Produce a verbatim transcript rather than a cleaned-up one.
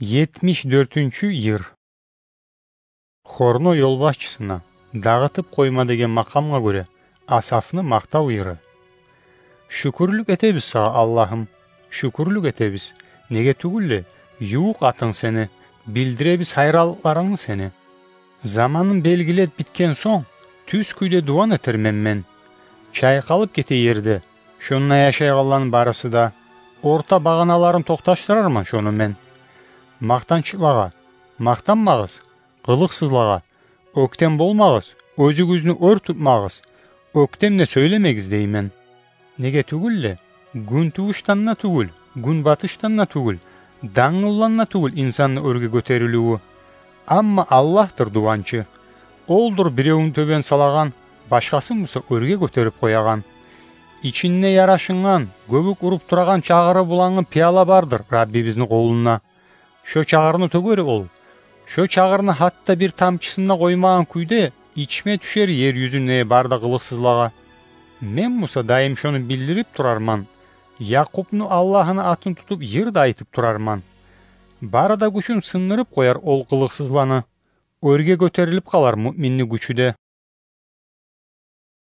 Етмиш дёртюнчю йыр. Хорну ёлбашчысына «Дагъытып къойма» деген макъамгъа гёре Асафны макътав йыры. Шюкюрлюк этебиз сагъа, Аллагьым, шюкюрлюк этебиз. Неге тюгюл де, ювукъ атынг сени, билдиребиз гьайранлыкъларынгны сени. Заманын белгилеп битген сонг, тюз кюйде дуван этермен мен. Чайкъалып гете ерде, шонда яшайгъанланы барысы да, орта багъаналарын токъташдырарман шону мен. Макътанчыкълагъа макътанмагъыз, къылыкъсызлагъа оьктем болмагъыз, оьзюгюзню оьр тутмагъыз, оьктем де сёйлемегиз деймен. Неге тюгюл де, гюнтувушдан да тюгюл, гюнбатышдан да тюгюл, дангылдан да тюгюл инсанны оьрге гётериливи. Амма Аллагьдыр дуванчы. Олдур биревюн тёбен салагъан, башгъасын буса оьрге гётерип къоягъан. Ичинде ярашынгъан, гёбюк уруп турагъан чагъыры булангъы пияла бардыр Раббибизни къолунда. Шо чагъырны тёгер ол. Шо чагъырны гьатта бир тамчысын да къоймагъан кюйде ичме тюшер ер юзюндеги бары да къылыкъсызлагъа. Мен буса дайым шону билдирип турарман. Якъупну Аллагьыны атын тутуп, йыр да айтып турарман. Бары да гючюн сындырып къояр ол къылыкъсызланы. Оьрге гётерилип къалар муъминни гючю де.